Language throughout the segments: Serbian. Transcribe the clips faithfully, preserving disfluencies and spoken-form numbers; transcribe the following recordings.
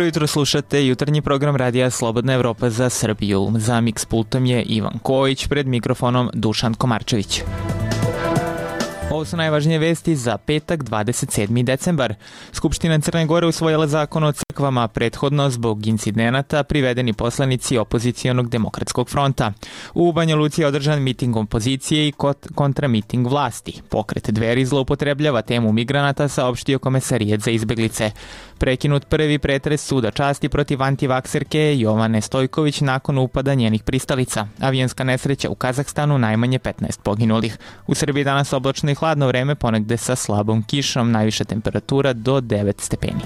Dobro jutro, slušate jutarnji program Radija Slobodna Evropa za Srbiju. Za Mix pultom je Ivan Kojić, pred mikrofonom Dušan Komarčević. Ovo su najvažnije vesti za petak, dvadeset sedmi decembar. Skupština Crne Gore usvojila zakon o crkvama, prethodno zbog incidenata privedeni poslanici opozicijonog demokratskog fronta. U Banja Luci je održan miting opozicije i kontramiting vlasti. Pokret Dveri zloupotrebljava temu migranata, saopštio Komesarijet za izbeglice. Prekinut prvi pretres suda časti protiv antivakserke Jovane Stojković nakon upada njenih pristalica. Avionska nesreća u Kazahstanu, najmanje petnaest poginulih. U Srbiji danas oblačno i hladno vreme, ponegde sa slabom kišom, najviša temperatura do devet stepeni.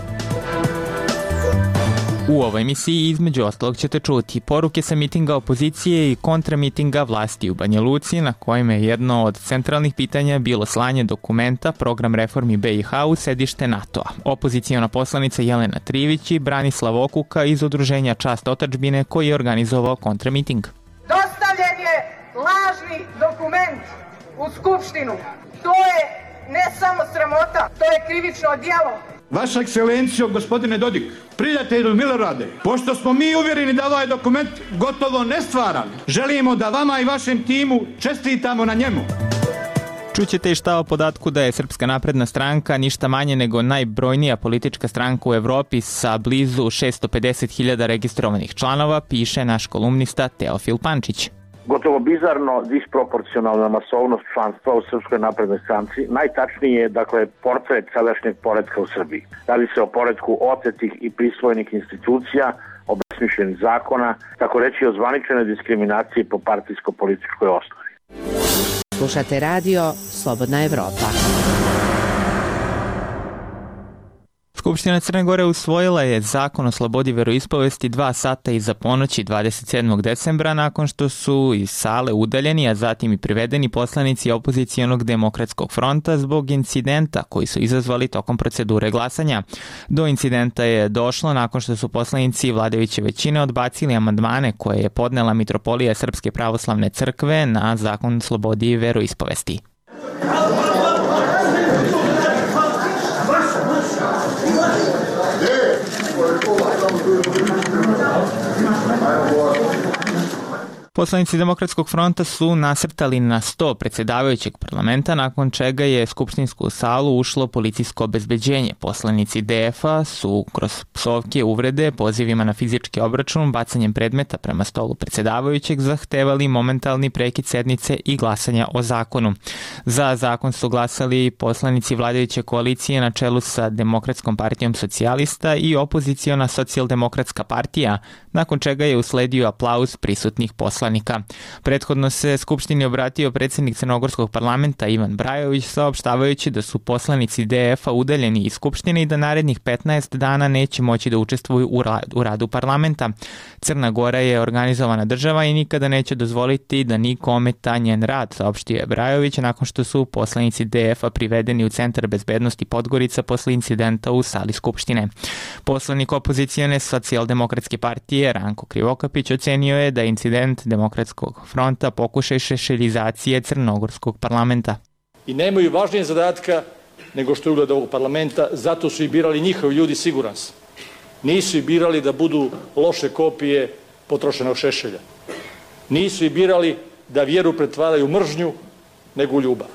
U ovoj emisiji između ostalog ćete čuti poruke sa mitinga opozicije i kontramitinga vlasti u Banja Luci, na kojima je jedno od centralnih pitanja bilo slanje dokumenta Program reformi B i H u sedište NATO-a. Opozicijona poslanica Jelena Trivić i Branislav Okuka iz udruženja Čast otadžbine, koji je organizovao kontramiting. Dostavljen je lažni dokument u Skupštinu. To je ne samo sramota, to je krivično djelo. Vaša ekscelencijo, gospodine Dodik, prijatelju Milorade, pošto smo mi uvjereni da ovaj dokument gotovo nestvaran, želimo da vama i vašem timu čestitamo na njemu. Čućete i šta o podatku da je Srpska napredna stranka ništa manje nego najbrojnija politička stranka u Evropi sa blizu šesto pedeset hiljada registrovanih članova, piše naš kolumnista Teofil Pančić. Gotovo bizarno disproporcionalna masovnost članstva u Srpskoj naprednoj stranci, najtačnije je, dakle, portret sadašnjeg poretka u Srbiji. Radi se o poretku otetih i prisvojenih institucija, obesmišljenih zakona, tako reći o zvaničnoj diskriminaciji po partijsko-političkoj osnovi. Slušate radio Slobodna Evropa. Skupština Crne Gore usvojila je zakon o slobodi veroispovesti dva sata iza ponoći dvadeset sedmog decembra nakon što su iz sale udaljeni, a zatim i privedeni poslanici opozicijonog demokratskog fronta zbog incidenta koji su izazvali tokom procedure glasanja. Do incidenta je došlo nakon što su poslanici vladajuće većine odbacili amandmane koje je podnela Mitropolija Srpske pravoslavne crkve na zakon o slobodi veroispovesti. Poslanici Demokratskog fronta su nasrtali na sto predsjedavajućeg parlamenta, nakon čega je skupštinsku salu ušlo policijsko obezbeđenje. Poslanici D F-a su kroz psovke, uvrede, pozivima na fizički obračun, bacanjem predmeta prema stolu predsjedavajućeg zahtevali momentalni prekid sednice i glasanja o zakonu. Za zakon su glasali poslanici vladajuće koalicije na čelu sa Demokratskom partijom socijalista i opoziciona Socijaldemokratska partija, nakon čega je usledio aplauz prisutnih poslanika. Prethodno se Skupštini obratio predsjednik Crnogorskog parlamenta Ivan Brajović, saopštavajući da su poslanici D F-a udaljeni iz Skupštine i da narednih petnaest dana neće moći da učestvuju u radu parlamenta. Crna Gora je organizovana država i nikada neće dozvoliti da niko ometa njen rad, saopštio je Brajović nakon što su poslanici D F-a privedeni u Centar bezbednosti Podgorica posle incidenta u sali Skupštine. Poslanik opozicijone Socijaldemokratske partije Ranko Krivokapić ocenio je da incident Demokratskog fronta pokušaj šešeljizacije Crnogorskog parlamenta. I nemaju važnije zadatka nego što je ugled ovog parlamenta, zato su i birali njihovi ljudi, siguran sam. Nisu i birali da budu loše kopije potrošenog šešelja. Nisu i birali da vjeru pretvaraju u mržnju nego u ljubav,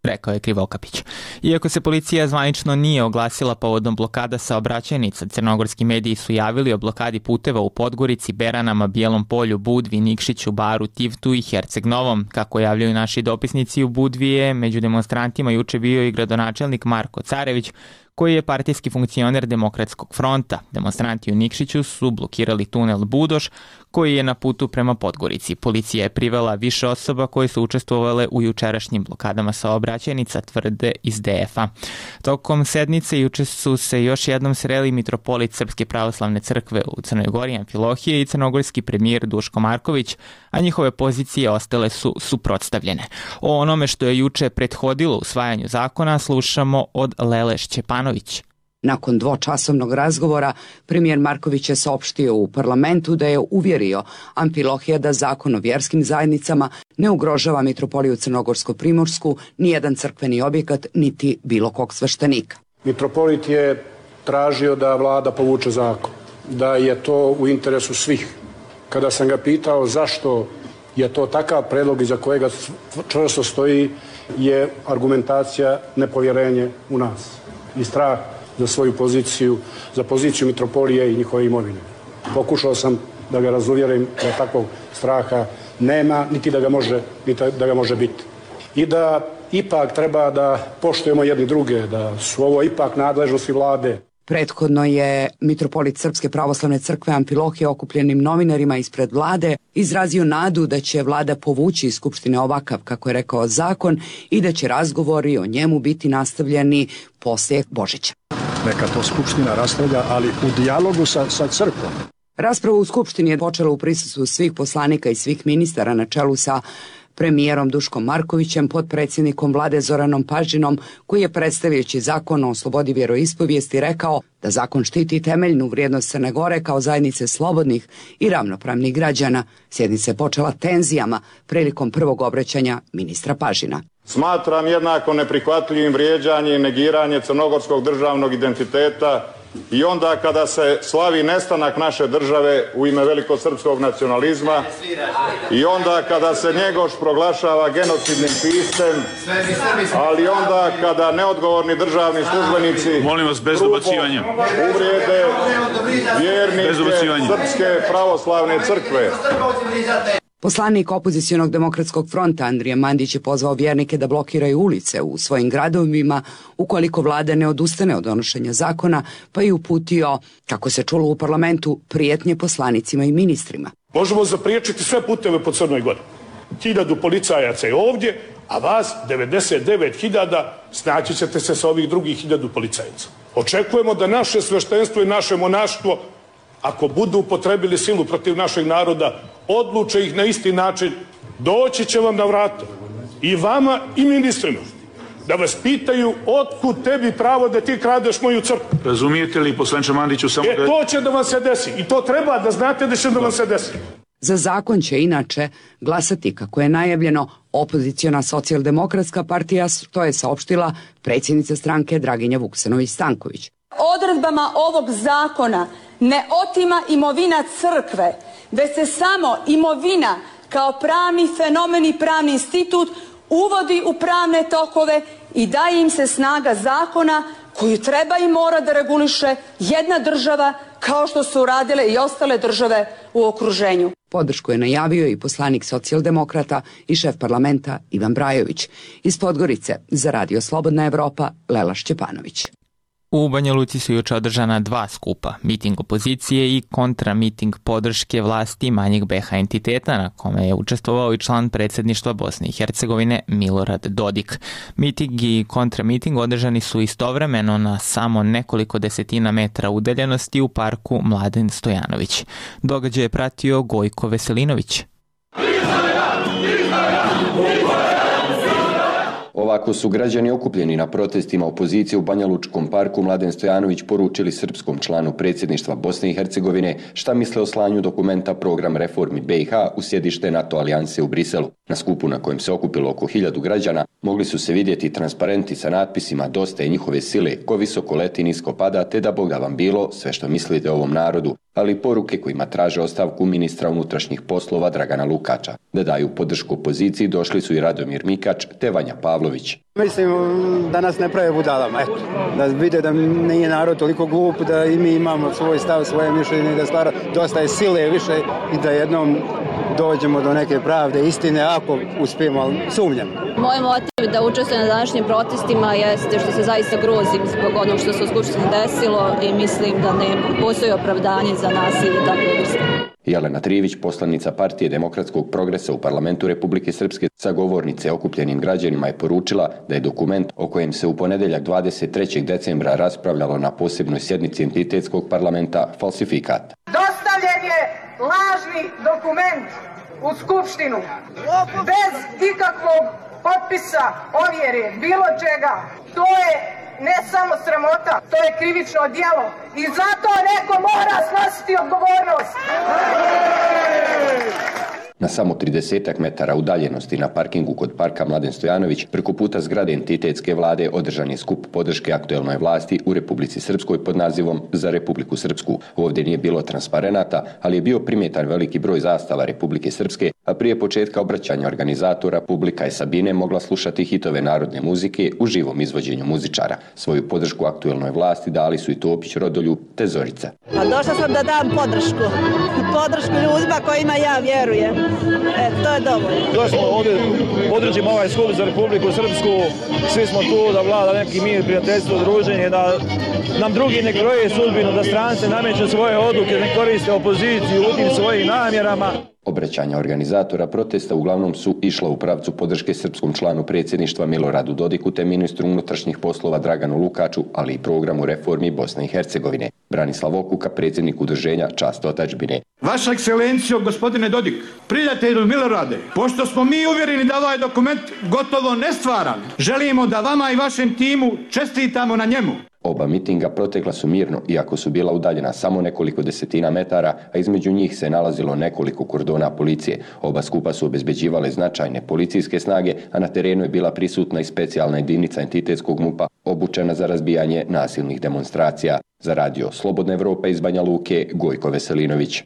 rekao je Krivokapić. Iako se policija zvanično nije oglasila povodom blokada saobraćajnica, crnogorski mediji su javili o blokadi puteva u Podgorici, Beranama, Bijelom Polju, Budvi, Nikšiću, Baru, Tivtu i Herceg Novom. Kako javljaju naši dopisnici, u Budvi je među demonstrantima juče bio i gradonačelnik Marko Carević, koji je partijski funkcioner Demokratskog fronta. Demonstranti u Nikšiću su blokirali tunel Budoš, koji je na putu prema Podgorici. Policija je privela više osoba koje su učestvovale u jučerašnjim blokadama saobraćajnica, tvrde iz D F-a. Tokom sednice juče su se još jednom sreli mitropolit Srpske pravoslavne crkve u Crnoj Gori Amfilohije i crnogorski premijer Duško Marković, a njihove pozicije ostale su suprotstavljene. O onome što je juče prethodilo usvajanju zakona slušamo od Lele Šćepanović. Nakon dvočasovnog razgovora, premijer Marković je saopštio u parlamentu da je uvjerio Amfilohija da zakon o vjerskim zajednicama ne ugrožava mitropoliju Crnogorsko-Primorsku, nijedan crkveni objekat, niti bilo kog sveštenika. Mitropolit je tražio da vlada povuče zakon. da je to u interesu svih. Kada sam ga pitao zašto je to takav predlog iza kojega čvrsto stoji, je argumentacija nepovjerenje u nas i strah za svoju poziciju, za poziciju mitropolije i njihove imovine. Pokušao sam da ga razuvjerim da takvog straha nema, niti da ga može, niti da ga može biti. I da ipak treba da poštujemo jedni druge, da su ovo ipak nadležnosti vlade. Prethodno je mitropolit Srpske pravoslavne crkve Amfilohije okupljenim novinarima ispred vlade izrazio nadu da će vlada povući iz Skupštine ovakav, kako je rekao, zakon i da će razgovori o njemu biti nastavljeni poslije Božića. Neka to Skupština raspravlja, ali u dijalogu sa, sa crkvom. Rasprava u Skupštini je počela u prisustvu svih poslanika i svih ministara na čelu sa premijerom Duškom Markovićem, potpredsjednikom vlade Zoranom Paždinom, koji je predstavljajući zakon o slobodi vjeroispovijesti rekao da zakon štiti temeljnu vrijednost Crne Gore kao zajednice slobodnih i ravnopravnih građana. Sjednica je počela tenzijama prilikom prvog obraćanja ministra Paždina. Smatram jednako neprihvatljivim vrijeđanje i negiranje crnogorskog državnog identiteta i onda kada se slavi nestanak naše države u ime velikosrpskog nacionalizma i onda kada se Njegoš proglašava genocidnim piscem, ali onda kada neodgovorni državni službenici molim vas bez dobacivanja uvrijede vjernike Srpske pravoslavne crkve. Poslanik opozicionog demokratskog fronta Andrija Mandić je pozvao vjernike da blokiraju ulice u svojim gradovima ukoliko vlada ne odustane od donošenja zakona, pa je uputio, kako se čulo u parlamentu, prijetnje poslanicima i ministrima. Možemo zapriječiti sve puteve po Crnoj Gori. Hiljadu policajaca je ovdje, a vas devedeset devet hiljada snaći ćete se sa ovih drugih hiljadu policajaca. Očekujemo da naše sveštenstvo i naše monaštvo, ako budu upotrebili silu protiv našeg naroda, odluče ih na isti način, doći će vam na vrata i vama i ministrima da vas pitaju otkud tebi pravo da ti kradeš moju crkvu. Razumijete li, poslanče Mandiću, samo e, da... to će da vam se desi i to treba da znate da će da vam se desi. Za zakon će inače glasati, kako je najavljeno, opoziciona socijaldemokratska partija, to je saopštila predsjednica stranke Draginja Vuksanović-Stanković. Odredbama ovog zakona ne otima imovina crkve, već se samo imovina kao pravni fenomen i pravni institut uvodi u pravne tokove i daje im se snaga zakona koju treba i mora da reguliše jedna država kao što su uradile i ostale države u okruženju. Podršku je najavio i poslanik socijaldemokrata i šef parlamenta Ivan Brajović. Iz Podgorice za Radio Slobodna Evropa Lela Šćepanović. U Banja Luci su juče održana dva skupa, miting opozicije i kontramiting podrške vlasti manjeg be ha entiteta, na kome je učestvovao i član predsjedništva Bosne i Hercegovine Milorad Dodik. Miting i kontramiting održani su istovremeno na samo nekoliko desetina metra udaljenosti u parku Mladen Stojanović. Događaj je pratio Gojko Veselinović. Ovako su građani okupljeni na protestima opozicije u Banjalučkom parku Mladen Stojanović poručili srpskom članu predsjedništva Bosne i Hercegovine šta misle o slanju dokumenta Program reformi be i ha u sjedište NATO alijanse u Briselu. Na skupu na kojem se okupilo oko hiljadu građana mogli su se vidjeti transparenti sa natpisima Dosta je njihove sile, ko visoko leti nisko pada, te da Boga vam bilo, sve što mislite o ovom narodu, ali poruke kojima traže ostavku ministra unutrašnjih poslova Dragana Lukača. Da daju podršku opoziciji došli su i Radomir Mikač te Vanja Pavlović. Mislim da nas ne prave budalama, eto. Da vide da nije narod toliko glup, da i mi imamo svoj stav, svoje mišljenje, da stvara dosta je sile više i da jednom dođemo do neke pravde, istine, ako uspijemo, ali sumnjam. Moj motiv da učestvujem na današnjim protestima jeste što se zaista grozim zbog onog što se u Skupštini desilo i mislim da ne postoji opravdanje za nasilje takve vrste. Jelena Trivić, poslanica Partije demokratskog progresa u parlamentu Republike Srpske, sa govornice okupljenim građanima je poručila da je dokument o kojem se u ponedeljak dvadeset trećeg decembra raspravljalo na posebnoj sjednici entitetskog parlamenta falsifikat. Dostavljen je lažni dokument u Skupštinu bez ikakvog potpisa, ovjere, bilo čega. To je ne samo sramota, to je krivično djelo i zato neko mora snositi odgovornost. Na samo tridesetak metara udaljenosti na parkingu kod parka Mladen Stojanović, preko puta zgrade entitetske vlade, održan je skup podrške aktuelnoj vlasti u Republici Srpskoj pod nazivom Za Republiku Srpsku. Ovdje nije bilo transparenata, ali je bio primjetan veliki broj zastava Republike Srpske, a prije početka obraćanja organizatora publika je Sabine mogla slušati hitove narodne muzike u živom izvođenju muzičara. Svoju podršku aktuelnoj vlasti dali su i Topić, Rodoljub te Zorica. Pa došla sam da dam podršku. Podršku ljudima kojima ja vjerujem. E, to je dovoljno. Došli smo ovdje, podržimo ovaj skup za Republiku Srpsku. Svi smo tu da vlada neki mir, prijateljstvo, druženje, da nam drugi ne kroje sudbinu, da strance nameću svoje odluke, ne koriste opoziciju u tim svojim namjerama. Obraćanja organizatora protesta uglavnom su išla u pravcu podrške srpskom članu predsjedništva Miloradu Dodiku te ministru unutrašnjih poslova Draganu Lukaču, ali i programu reformi Bosne i Hercegovine. Branislav Okuka, predsjednik udruženja Čast otadžbine. Vaša ekscelencijo, gospodine Dodik, prijatelju Milorade, pošto smo mi uvjereni da ovaj dokument gotovo nestvaran, želimo da vama i vašem timu čestitamo na njemu. Oba mitinga protekla su mirno, iako su bila udaljena samo nekoliko desetina metara, a između njih se nalazilo nekoliko kordona policije. Oba skupa su obezbeđivale značajne policijske snage, a na terenu je bila prisutna i specijalna jedinica entitetskog MUP-a, obučena za razbijanje nasilnih demonstracija. Za radio Slobodna Evropa iz Banja Luke, Gojko Veselinović.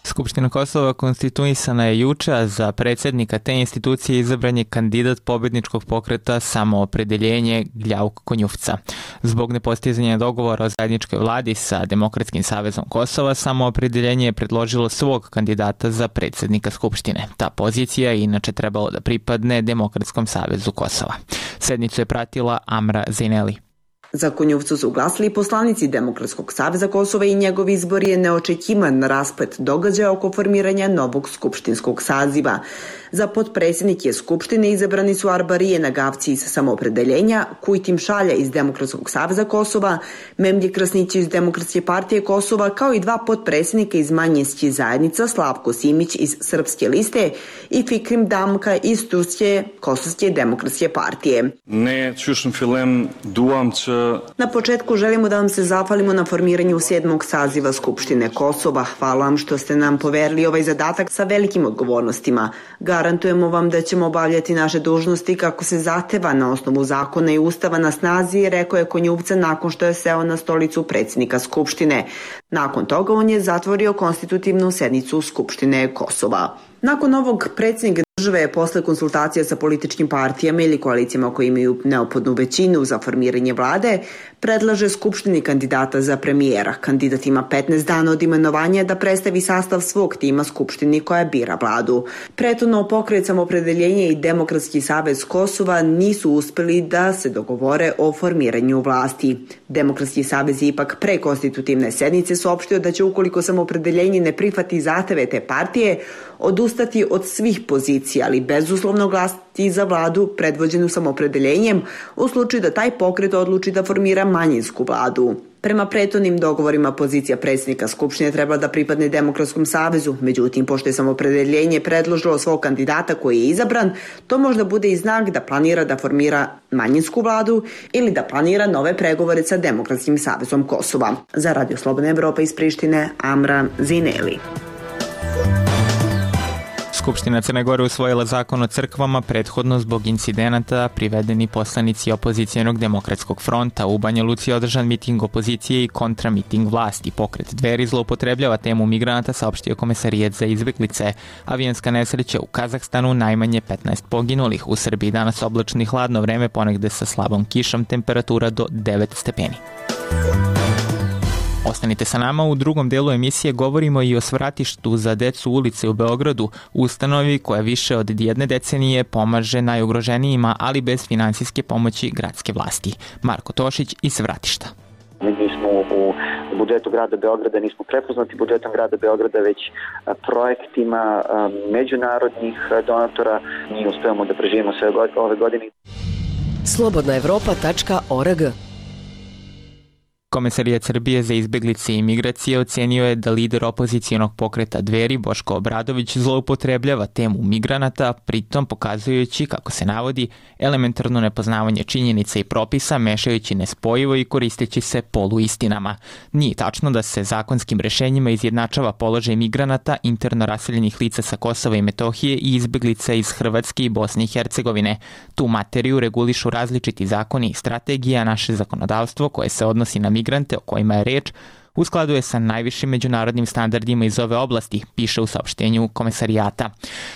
Skupština Kosova konstituisana je juče, a za predsjednika te institucije izabran je kandidat pobjedničkog pokreta Samoopredeljenje Gljauk Konjufca. Zbog nepostizanja dogovora o zajedničkoj vladi sa Demokratskim savezom Kosova, Samoopredeljenje je predložilo svog kandidata za predsjednika Skupštine. Ta pozicija je inače trebalo da pripadne Demokratskom savezu Kosova. Sednicu je pratila Amra Zineli. Za Konjufcu su glasili poslanici Demokratskog saveza Kosova i njegov izbor je neočekivan rasplet događaja oko formiranja novog skupštinskog saziva. Za potpredsjednike Skupštine izabrani su Arbarije Nagavci iz Samoopredeljenja, Kujtim Šalja iz Demokratskog saveza Kosova, Memlje Krasnić iz Demokratske partije Kosova, kao i dva potpredsjednika iz manjinskih zajednica, Slavko Simić iz Srpske liste i Fikrim Damka iz Turske Kosovske demokratske partije. Ne, čušen film, duam će... Na početku želimo da vam se zahvalimo na formiranju sedmog saziva Skupštine Kosova. Hvala vam što ste nam poverili ovaj zadatak sa velikim odgovornostima. Garantujemo vam da ćemo obavljati naše dužnosti kako se zahteva na osnovu zakona i ustava na snazi, rekao je Konjufca nakon što je seo na stolicu predsjednika Skupštine. Nakon toga on je zatvorio konstitutivnu sednicu Skupštine Kosova. Nakon ovog predsjednik države je posle konsultacija sa političkim partijama ili koalicijama koji imaju neophodnu većinu za formiranje vlade, predlaže Skupštini kandidata za premijera. Kandidat ima petnaest dana od imenovanja da predstavi sastav svog tima Skupštini koja bira vladu. Prethodno Pokret Samoopredeljenje i Demokratski savez Kosova nisu uspeli da se dogovore o formiranju vlasti. Demokratski savez je ipak pre konstitutivne sednice saopštio da će, ukoliko Samoopredeljenje ne prihvati zahteve te partije, odustati od svih pozicija, ali bezuslovno glasati za vladu predvođenu Samoopredeljenjem u slučaju da taj pokret odluči da formira manjinsku vladu. Prema prethodnim dogovorima pozicija predsjednika Skupštine treba da pripadne Demokratskom savezu, međutim, pošto je Samoopredeljenje predložilo svog kandidata koji je izabran, to možda bude i znak da planira da formira manjinsku vladu ili da planira nove pregovore sa Demokratskim savezom Kosova. Za Radio Slobodna Evropa iz Prištine, Amra Zineli. Skupština Crne Gore usvojila zakon o crkvama prethodno zbog incidenata privedeni poslanici opozicijenog Demokratskog fronta. U Banja Luci je održan miting opozicije i kontramiting vlasti. Pokret Dveri zloupotrebljava temu migranata, saopštio Komesarijet za izbeglice. Avionska nesreća u Kazahstanu, najmanje petnaest poginulih. U Srbiji danas oblačno i hladno vreme, ponegde sa slabom kišom, temperatura do devet stepeni. Ostanite sa nama, u drugom delu emisije govorimo i o svratištu za decu ulice u Beogradu, ustanovi koja više od jedne decenije pomaže najugroženijima, ali bez finansijske pomoći gradske vlasti. Marko Tošić iz Svratišta. Mi nismo u budžetu grada Beograda, nismo prepoznati budžetom grada Beograda, već projektima međunarodnih donatora. Mi uspevamo da preživimo sve ove godine. slobodna evropa tačka org Komesarijat Srbije za izbeglice i migracije ocenio je da lider opozicijonog pokreta Dveri Boško Obradović zloupotrebljava temu migranata, pritom pokazujući, kako se navodi, elementarno nepoznavanje činjenica i propisa, mešajući nespojivo i koristeći se poluistinama. Nije tačno da se zakonskim rešenjima izjednačava položaj migranata, interno raseljenih lica sa Kosova i Metohije i izbeglica iz Hrvatske i Bosne i Hercegovine. Tu materiju regulišu različiti zakoni i strategija. Naše zakonodavstvo koje se odnosi na migrante o kojima je reč u skladu je sa najvišim međunarodnim standardima iz ove oblasti, piše u saopštenju komesarijata.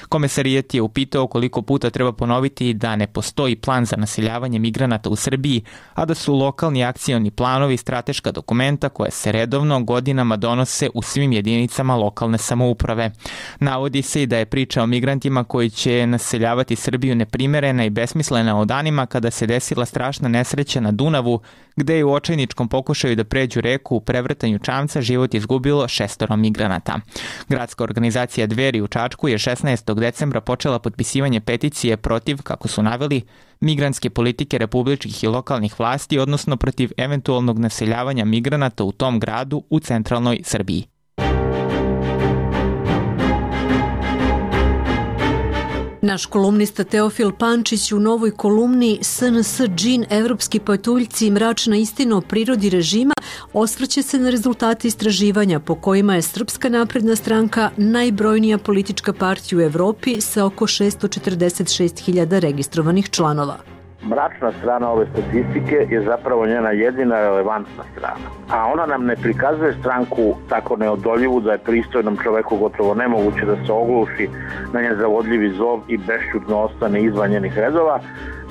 Komesarijat je upitao koliko puta treba ponoviti da ne postoji plan za naseljavanje migranata u Srbiji, a da su lokalni akcioni planovi strateška dokumenta koje se redovno godinama donose u svim jedinicama lokalne samouprave. Navodi se i da je priča o migrantima koji će naseljavati Srbiju neprimerena i besmislena o danima kada se desila strašna nesreća na Dunavu, gde je u očajničkom pokušaju da pređu reku u prevrtanju čamca život izgubilo šestoro migranata. Gradska organizacija Dveri u Čačku je šesnaestog decembra počela potpisivanje peticije protiv, kako su naveli, migrantske politike republičkih i lokalnih vlasti, odnosno protiv eventualnog naseljavanja migranata u tom gradu u centralnoj Srbiji. Naš kolumnista Teofil Pančić u novoj kolumni S N S džin, evropski patuljci i mračna istina o prirodi režima osvrće se na rezultate istraživanja po kojima je Srpska napredna stranka najbrojnija politička partija u Evropi sa oko šessto četrdeset šest hiljada registrovanih članova. Mračna strana ove statistike je zapravo njena jedina relevantna strana. A ona nam ne prikazuje stranku tako neodoljivu da je pristojnom čoveku gotovo nemoguće da se ogluši na njen zavodljivi zov i bešćutno ostane izvan njenih redova,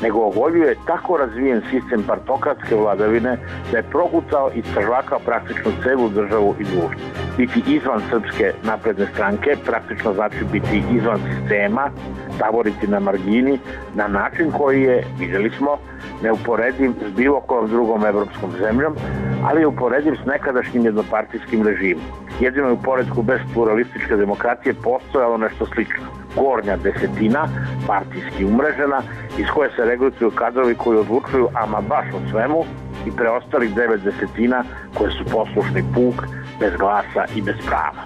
nego ogoljuje tako razvijen sistem partokratske vladavine da je prokucao i stržvakao praktično celu državu i društvo. Biti izvan Srpske napredne stranke praktično znači biti izvan sistema, taboriti na margini, na način koji je, vidjeli smo, neuporediv s bilo kojom drugom evropskom zemljom, ali je uporediv s nekadašnjim jednopartijskim režimom. Jedino je u poredku bez pluralističke demokratije postojalo nešto slično. Gornja desetina, partijski umrežena, iz koje se regrutuju kadrovi koji odlučuju ama baš o svemu, i preostalih devet desetina koje su poslušni puk, bez glasa i bez prava.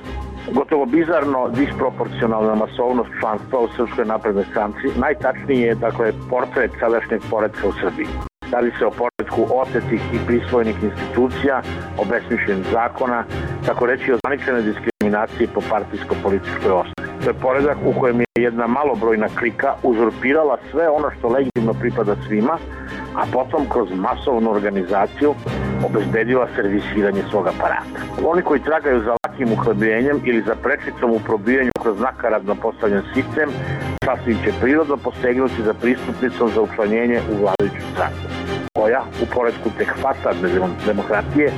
Gotovo bizarno disproporcionalna masovnost članstva u Srpskoj naprednoj stranci najtačniji je, dakle, portret sadašnjeg poretka u Srbiji. Radi se o poretku otetih i prisvojenih institucija, obesmišljenih zakona, tako reći o zvaničene diskriminacije po partijsko-političkoj osnovi. To je poredak u kojem je jedna malobrojna klika uzurpirala sve ono što legitimno pripada svima, a potom kroz masovnu organizaciju obezbedila servisiranje svog aparata. Oni koji tragaju za lakim uhlebljenjem ili za prečicom u probijanju kroz nakaradno postavljen sistem, sasvim će prirodno posegnuti za pristupnicom za učlanjenje u vladajuću stranku, koja u poredku tek fasadne demokratije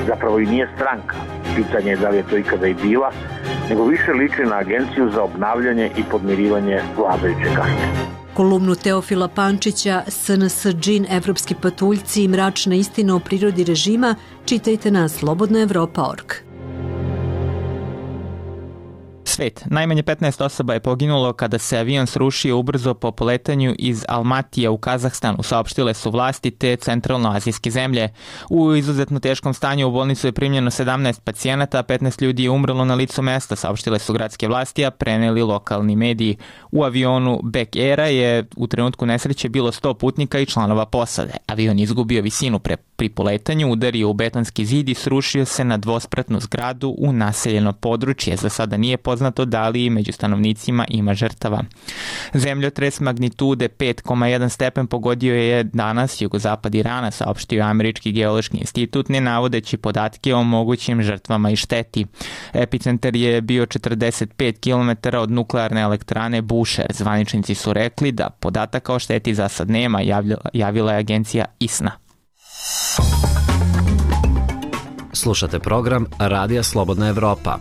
zapravo i nije stranka. Pitanje je da li je to ikada i bila, nego više liči na agenciju za obnavljanje i podmirivanje vladajuće kaste. Kolumnu Teofila Pančića S N S džin, evropski patuljci i mračna istina o prirodi režima čitajte na slobodna evropa tačka org. Svet. Najmanje petnaest osoba je poginulo kada se avion srušio ubrzo po poletanju iz Almatija u Kazahstanu, saopštile su vlasti te centralnoazijske zemlje. U izuzetno teškom stanju u bolnicu je primljeno sedamnaest pacijenata, a petnaest ljudi je umrlo na licu mesta, saopštile su gradske vlasti, a preneli lokalni mediji. U avionu Bek Aira je u trenutku nesreće bilo sto putnika i članova posade. Avion je izgubio visinu pre, pri poletanju, udario u betonski zid i srušio se na dvospratnu zgradu u naseljeno područje. Za sada nije poznato da li među stanovnicima ima žrtava. Zemljotres magnitude pet zarez jedan stepen pogodio je danas jugozapad Irana, saopštio Američki geološki institut, ne navodeći podatke o mogućim žrtvama i šteti. Epicentar je bio četrdeset pet kilometara od nuklearne elektrane Bushehr. Zvaničnici su rekli da podataka o šteti za sad nema, javila, javila je agencija I S N A. Slušate program Radija Slobodna Evropa.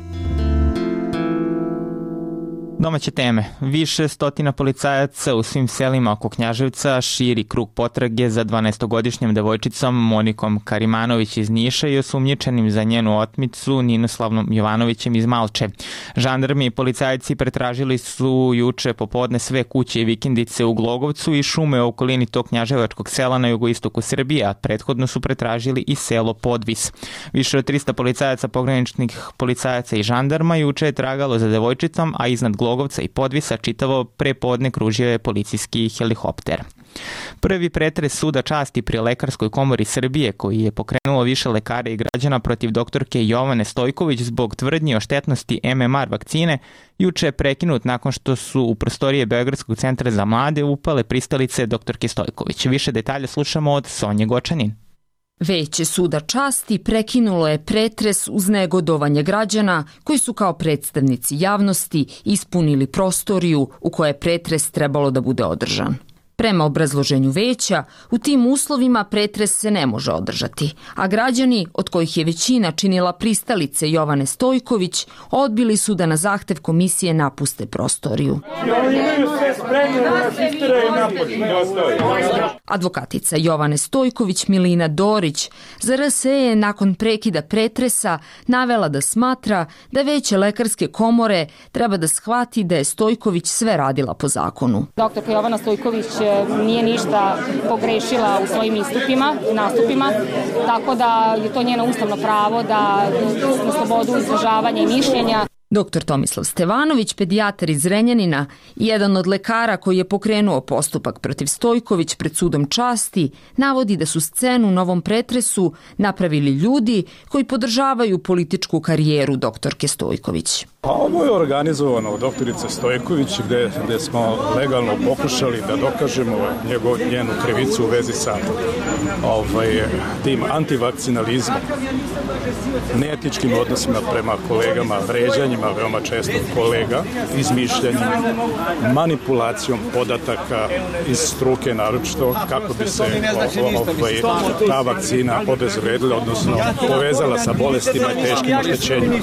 Domaće teme. Više stotina policajaca u svim selima oko Knjaževca širi krug potrage za dvanaestogodišnjom devojčicom Monikom Karimanović iz Niša i osumnjičenim za njenu otmicu Ninoslavnom Jovanovićem iz Malče. Žandarmi i policajci pretražili su juče popodne sve kuće i vikendice u Glogovcu i šume u okolini tog knjaževačkog sela na jugoistoku Srbije, a prethodno su pretražili i selo Podvis. Više od trista policajaca, pograničnih policajaca i žandarma juče je tragalo za devojčicom, a iznad Glogovca i Podvisa čitavo prepodne kružio je policijski helikopter. Prvi pretres suda časti pri Lekarskoj komori Srbije, koji je pokrenulo više lekara i građana protiv doktorke Jovane Stojković zbog tvrdnji o štetnosti M M R vakcine, juče je prekinut nakon što su u prostorije Beogradskog centra za mlade upale pristalice doktorke Stojković. Više detalja slušamo od Sonje Gočanin. Veće suda časti prekinulo je pretres uz negodovanje građana koji su kao predstavnici javnosti ispunili prostoriju u kojoj je pretres trebalo da bude održan. Prema obrazloženju veća, u tim uslovima pretres se ne može održati, a građani, od kojih je većina činila pristalice Jovane Stojković, odbili su da na zahtev komisije napuste prostoriju. Advokatica Jovane Stojković Milina Dorić za R S E je nakon prekida pretresa navela da smatra da veće lekarske komore treba da shvati da je Stojković sve radila po zakonu. Doktorka Jovana Stojković nije ništa pogrešila u svojim istupima, nastupima, tako da je to njeno ustavno pravo da na slobodu izražavanja i mišljenja. Doktor Tomislav Stevanović, pedijatar iz Zrenjanina i jedan od lekara koji je pokrenuo postupak protiv Stojković pred sudom časti, navodi da su scenu u novom pretresu napravili ljudi koji podržavaju političku karijeru doktorke Stojković. Pa ovo je organizovano od doktorice Stojković gde, gde smo legalno pokušali da dokažemo njego, njenu krivicu u vezi sa ovaj, tim antivakcinalizmom, neetičkim odnosima prema kolegama, vređanjima veoma često kolega, izmišljanjem, manipulacijom podataka iz struke naročito kako bi se ovaj, ta vakcina obezvredila, odnosno povezala sa bolestima i teškim oštećenjima.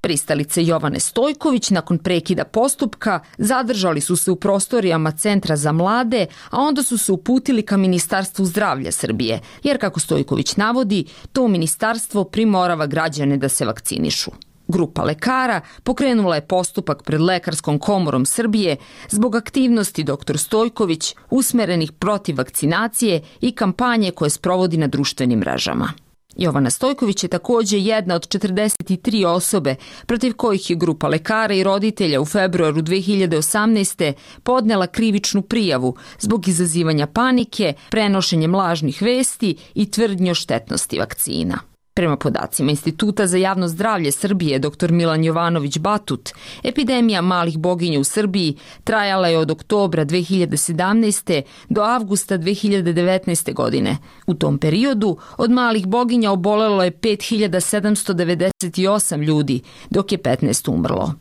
Pristalice Jovane Stojković nakon prekida postupka zadržali su se u prostorijama Centra za mlade, a onda su se uputili ka Ministarstvu zdravlja Srbije, jer kako Stojković navodi, to ministarstvo primorava građane da se vakcinišu. Grupa lekara pokrenula je postupak pred Lekarskom komorom Srbije zbog aktivnosti doktor Stojković usmerenih protiv vakcinacije i kampanje koje sprovodi na društvenim mrežama. Jovana Stojković je takođe jedna od četrdeset tri osobe protiv kojih je grupa lekara i roditelja u februaru dve hiljade osamnaeste. podnela krivičnu prijavu zbog izazivanja panike, prenošenjem lažnih vesti i tvrdnji o štetnosti vakcina. Prema podacima Instituta za javno zdravlje Srbije dr Milan Jovanović Batut, epidemija malih boginja u Srbiji trajala je od oktobra dve hiljade sedamnaeste. do avgusta dve hiljade devetnaeste. godine. U tom periodu od malih boginja obolelo je pet hiljada sedamsto devedeset osam ljudi, dok je petnaest umrlo.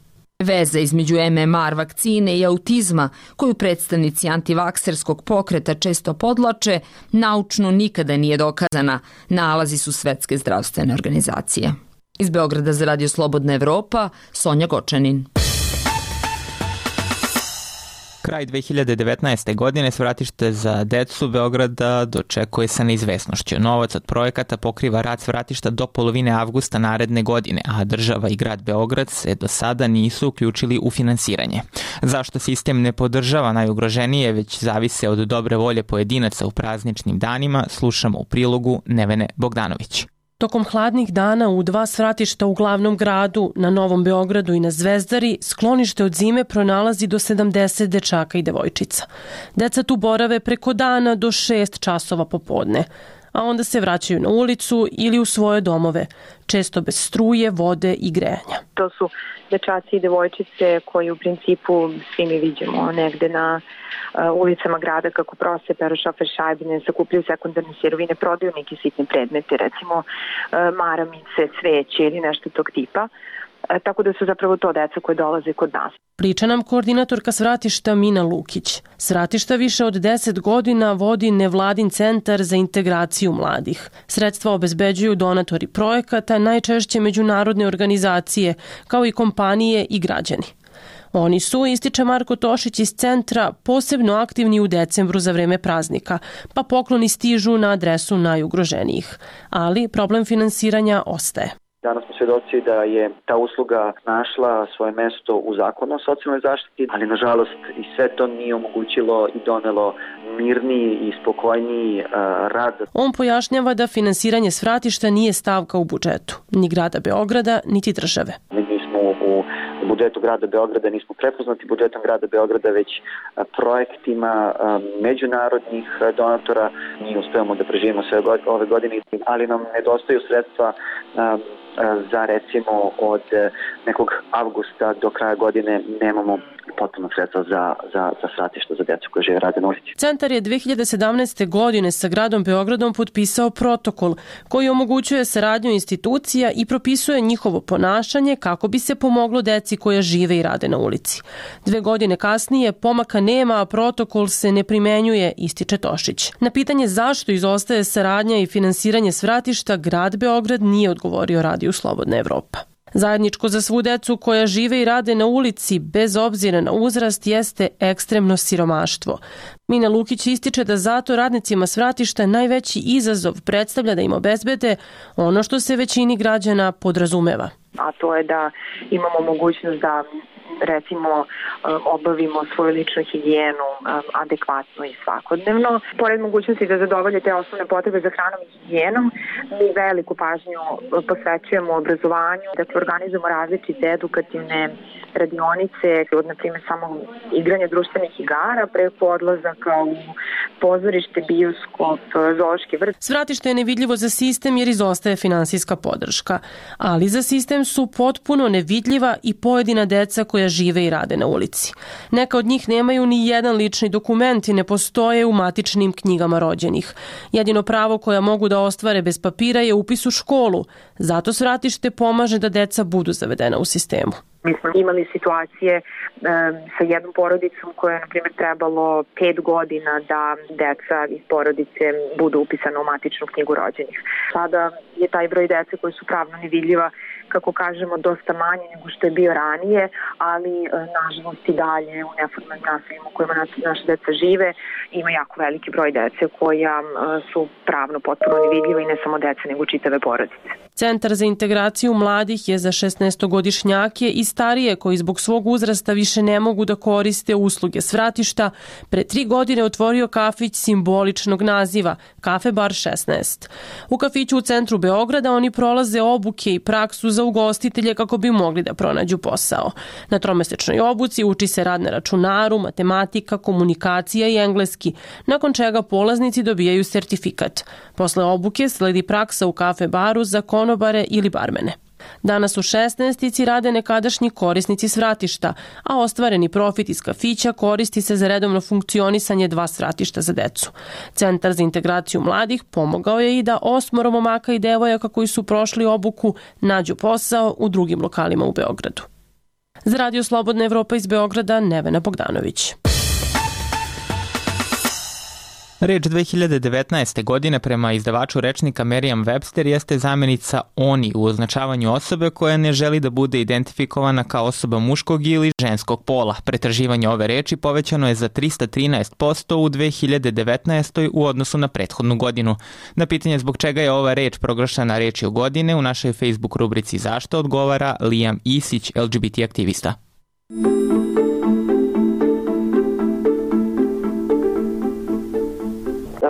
Veza između M M R vakcine i autizma, koju predstavnici antivakserskog pokreta često podlače, naučno nikada nije dokazana, nalazi su Svetske zdravstvene organizacije. Iz Beograda za Radio Slobodna Evropa, Sonja Gočanin. Kraj dve hiljade devetnaeste. godine svratište za decu Beograda dočekuje sa neizvesnošću. Novac od projekata pokriva rad svratišta do polovine avgusta naredne godine, a država i grad Beograd se do sada nisu uključili u finansiranje. Zašto sistem ne podržava najugroženije, već zavise od dobre volje pojedinaca u prazničnim danima, slušamo u prilogu Nevene Bogdanović. Tokom hladnih dana u dva svratišta u glavnom gradu, na Novom Beogradu i na Zvezdari, sklonište od zime pronalazi do sedamdeset dečaka i devojčica. Deca tu borave preko dana do šest časova popodne, a onda se vraćaju na ulicu ili u svoje domove, često bez struje, vode i grejanja. To su dečaci i devojčice koji u principu svi mi vidimo negde na ulicama grada kako prose, peru šofer šajbine, sakupljaju sekundarne sirovine, prodaju neke sitne predmete, recimo maramice, cveće ili nešto tog tipa. Tako da su zapravo to deca koje dolaze kod nas. Priča nam koordinatorka svratišta Mina Lukić. Svratišta više od deset godina vodi nevladin centar za integraciju mladih. Sredstva obezbeđuju donatori projekata, najčešće međunarodne organizacije, kao i kompanije i građani. Oni su, ističe Marko Tošić iz centra, posebno aktivni u decembru za vreme praznika, pa pokloni stižu na adresu najugroženijih. Ali problem finansiranja ostaje. Danas smo svjedoci da je ta usluga našla svoje mesto u zakonu o socijalnoj zaštiti, ali nažalost i sve to nije omogućilo i donelo mirniji i spokojniji uh, rad. On pojašnjava da finansiranje svratišta nije stavka u budžetu, ni grada Beograda, niti države. Mi smo u budžetu grada Beograda nismo prepoznati budžetom grada Beograda, već projektima međunarodnih donatora. Mi uspevamo da preživimo sve ove godine, ali nam nedostaju sredstva za recimo od nekog avgusta do kraja godine nemamo potpuno sredstva za, za, za svratišta za djecu koje žive rade na ulici. Centar je dve hiljade sedamnaeste. godine sa gradom Beogradom potpisao protokol koji omogućuje saradnju institucija i propisuje njihovo ponašanje kako bi se pomoglo deci koja žive i rade na ulici. Dve godine kasnije pomaka nema, a protokol se ne primenjuje, ističe Tošić. Na pitanje zašto izostaje saradnja i finansiranje svratišta, grad Beograd nije odgovorio Radiju Slobodna Evropa. Zajedničko za svu decu koja žive i rade na ulici, bez obzira na uzrast, jeste ekstremno siromaštvo. Mina Lukić ističe da zato radnicima svratišta najveći izazov predstavlja da im obezbede ono što se većini građana podrazumeva. A to je da imamo mogućnost da recimo obavimo svoju ličnu higijenu adekvatno i svakodnevno. Pored mogućnosti da zadovolje te osnovne potrebe za hranom i higijenom, mi veliku pažnju posvećujemo obrazovanju, dakle organizujemo različite edukativne radionice, od na primjer samo igranja društvenih igara, preko odlazaka u pozorište, bioskop, zoološki vrt. Svratište je nevidljivo za sistem jer izostaje finansijska podrška, ali za sistem su potpuno nevidljiva i pojedina deca koja žive i rade na ulici. Neka od njih nemaju ni jedan lični dokument i ne postoje u matičnim knjigama rođenih. Jedino pravo koja mogu da ostvare bez papira je upis u školu. Zato svratište pomaže da deca budu zavedena u sistemu. Mi smo imali situacije e, sa jednom porodicom koja je, na primjer, trebalo pet godina da deca iz porodice budu upisane u matičnu knjigu rođenih. Sada je taj broj dece koji su pravno nevidljiva, kako kažemo, dosta manje nego što je bio ranije, ali e, nažalost i dalje u neformalnim naseljima u kojima naše deca žive ima jako veliki broj dece koja e, su pravno potpuno nevidljiva i ne samo dece nego čitave porodice. Centar za integraciju mladih je za šesnaestogodišnjake i starije koji zbog svog uzrasta više ne mogu da koriste usluge svratišta, pre tri godine otvorio kafić simboličnog naziva Kafe Bar šesnaest. U kafiću u centru Beograda oni prolaze obuke i praksu za ugostitelje kako bi mogli da pronađu posao. Na tromesečnoj obuci uči se rad na računaru, matematika, komunikacija i engleski, nakon čega polaznici dobijaju sertifikat. Posle obuke sledi praksa u kafe baru za konobare ili barmene. Danas u šesnaestici rade nekadašnji korisnici svratišta, a ostvareni profit iz kafića koristi se za redovno funkcionisanje dva svratišta za decu. Centar za integraciju mladih pomogao je i da osmoro momaka i devojaka koji su prošli obuku nađu posao u drugim lokalima u Beogradu. Za Radio Slobodna Evropa iz Beograda, Nevena Bogdanović. Reč dve hiljade devetnaeste. godine prema izdavaču rečnika Merriam-Webster jeste zamenica oni u označavanju osobe koja ne želi da bude identifikovana kao osoba muškog ili ženskog pola. Pretraživanje ove reči povećano je za trista trinaest posto u dve hiljade devetnaestoj. u odnosu na prethodnu godinu. Na pitanje zbog čega je ova reč proglašena rečju godine u našoj Facebook rubrici Zašto odgovara Liam Isić, L G B T aktivista.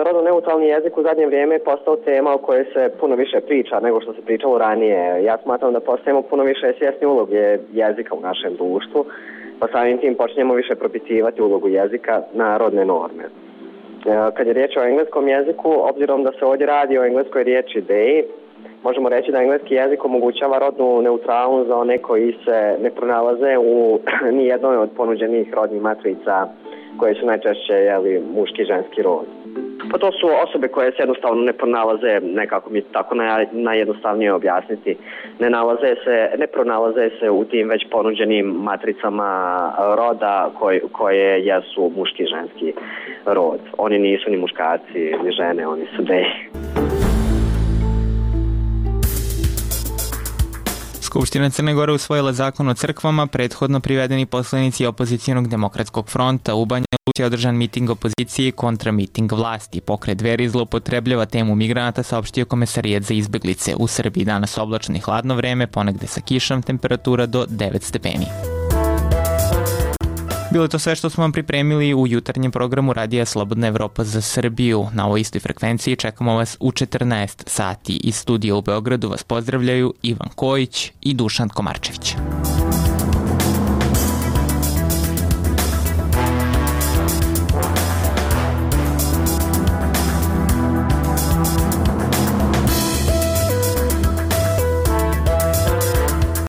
Rodno neutralni jezik u zadnje vrijeme je postao tema o kojoj se puno više priča nego što se pričalo ranije. Ja smatram da postajemo puno više svjesni uloge jezika u našem društvu, pa samim tim počinjemo više propitivati ulogu jezika na rodne norme. Kad je riječ o engleskom jeziku, obzirom da se ovdje radi o engleskoj riječi they, možemo reći da engleski jezik omogućava rodnu neutralnost za one koji se ne pronalaze u nijednoj od ponuđenih rodnih matrica koje su najčešće jeli, muški i ženski rod. Pa to su osobe koje se jednostavno ne pronalaze, nekako mi tako najjednostavnije objasniti, ne nalaze se, ne pronalaze se u tim već ponuđenim matricama roda koje, koje jesu muški i ženski rod. Oni nisu ni muškarci, ni žene, oni su they. Skupština Crne Gore usvojila zakon o crkvama, prethodno privedeni poslanici opozicijonog demokratskog fronta. U Banja Luci je održan miting opozicije kontra miting vlasti. Pokret Dveri zloupotrebljava temu migranata, saopštio Komesarijat za izbeglice. U Srbiji danas oblačno i hladno vreme, ponegde sa kišom, temperatura do devet stepeni. Bilo je to sve što smo vam pripremili u jutarnjem programu Radija Slobodna Evropa za Srbiju. Na ovoj istoj frekvenciji čekamo vas u četrnaest sati. Iz studija u Beogradu vas pozdravljaju Ivan Kojić i Dušan Komarčević.